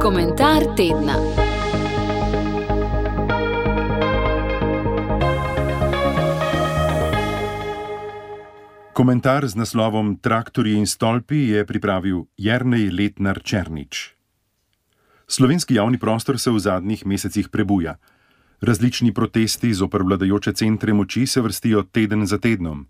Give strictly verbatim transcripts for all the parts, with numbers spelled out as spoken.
Komentar tedna. Komentar z naslovom Traktorji in stolpi je pripravil Jernej Letnar Černič. Slovenski javni prostor se v zadnjih mesecih prebuja. Različni protesti zoper vladajoče centre moči se vrstijo teden za tednom.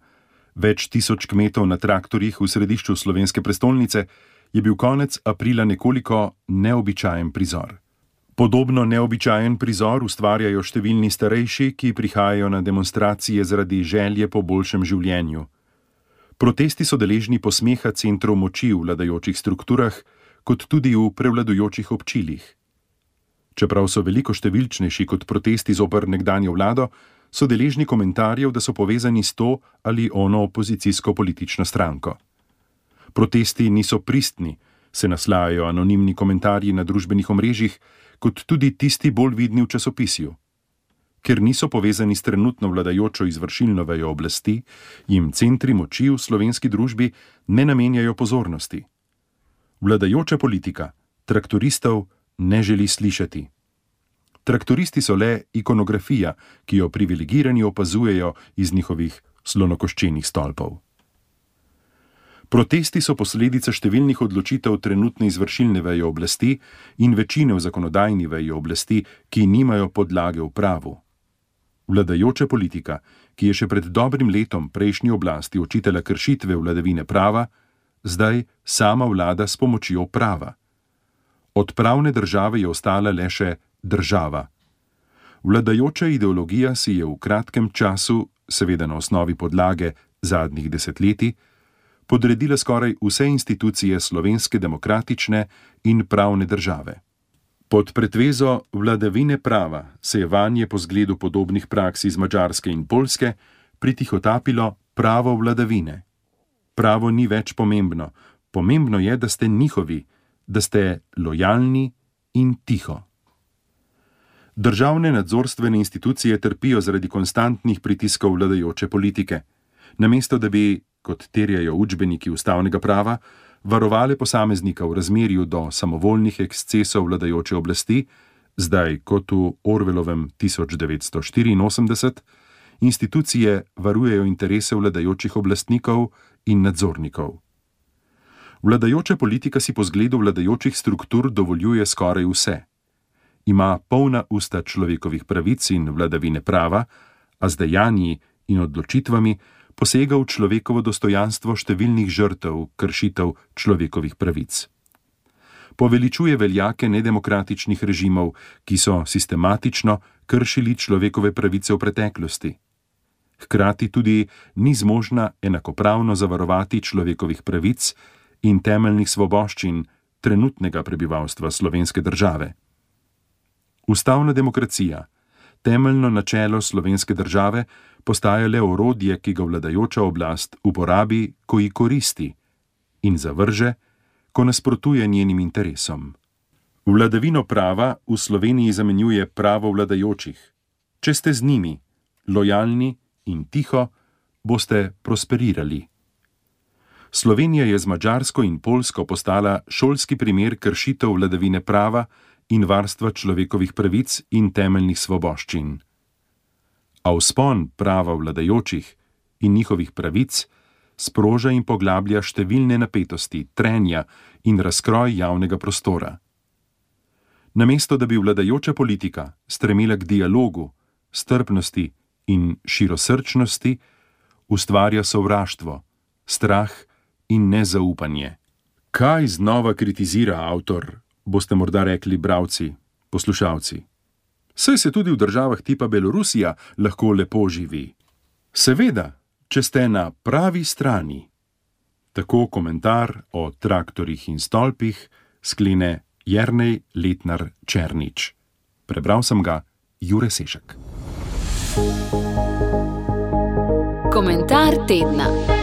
Več tisoč kmetov na traktorjih v središču slovenske prestolnice je bil konec aprila nekoliko neobičajen prizor. Podobno neobičajen prizor ustvarjajo številni starejši, ki prihajajo na demonstracije zaradi želje po boljšem življenju. Protesti so deležni posmeha centrov moči v vladajočih strukturah, kot tudi v prevladujočih občilih. Čeprav so veliko številčnejši kot protesti zoper nekdanjo vlado, so deležni komentarjev, da so povezani s to ali ono opozicijsko politično stranko. Protesti niso pristni, se naslajajo anonimni komentarji na družbenih omrežjih, kot tudi tisti bolj vidni v časopisju. Ker niso povezani s trenutno vladajočo izvršilno vejo oblasti, jim centri moči v slovenski družbi ne namenjajo pozornosti. Vladajoča politika traktoristov ne želi slišati. Traktoristi so le ikonografija, ki jo privilegirani opazujejo iz njihovih slonokoščenih stolpov. Protesti so posledica številnih odločitev trenutne izvršilne veje oblasti in večine v zakonodajni veji oblasti, ki nimajo podlage v pravu. Vladajoča politika, ki je še pred dobrim letom prejšnji oblasti očitala kršitve vladavine prava, zdaj sama vlada s pomočjo prava. Od pravne države je ostala le še država. Vladajoča ideologija si je v kratkem času, seveda na osnovi podlage zadnjih desetletij, podredila skoraj vse institucije slovenske demokratične in pravne države. Pod pretvezo vladavine prava se je vanje po zgledu podobnih praks iz Madžarske in Poljske pritihotapilo pravo vladavine. Pravo ni več pomembno, pomembno je, da ste njihovi, da ste lojalni in tiho. Državne nadzorstvene institucije trpijo zaradi konstantnih pritiskov vladajoče politike. Namesto da bi, kot terjajo učbeniki ustavnega prava, varovale posameznika v razmerju do samovoljnih ekscesov vladajoče oblasti, zdaj kot v Orwellovem tisoč devetsto štiriinosemdeset, institucije varujejo interese vladajočih oblastnikov in nadzornikov. Vladajoča politika si po zgledu vladajočih struktur dovoljuje skoraj vse. Ima polna usta človekovih pravic in vladavine prava, a z dejanji in odločitvami posega v človekovo dostojanstvo številnih žrtev kršitev človekovih pravic. Poveličuje veljake nedemokratičnih režimov, ki so sistematično kršili človekove pravice v preteklosti. Hkrati tudi ni zmožna enakopravno zavarovati človekovih pravic in temeljnih svoboščin trenutnega prebivalstva slovenske države. Ustavna demokracija, temeljno načelo slovenske države, postaja le orodje, ki ga vladajoča oblast uporabi, ko ji koristi, in zavrže, ko nasprotuje njenim interesom. Vladavino prava v Sloveniji zamenjuje pravo vladajočih. Če ste z njimi, lojalni in tiho, boste prosperirali. Slovenija je z Madžarsko in Poljsko postala šolski primer kršitev vladavine prava in varstva človekovih pravic in temeljnih svoboščin. A vzpon prava vladajočih in njihovih pravic sproža in poglablja številne napetosti, trenja in razkroj javnega prostora. Namesto da bi vladajoča politika stremela k dialogu, strpnosti in širosrčnosti, ustvarja sovraštvo, strah in nezaupanje. Kaj znova kritizira avtor, boste morda rekli bralci, poslušalci? Saj se tudi v državah tipa Belorusija lahko lepo živi. Seveda, če ste na pravi strani. Tako komentar o traktorjih in stolpih sklene Jernej Letnar Černič. Prebral sem ga Jure Sešek. Komentar tedna.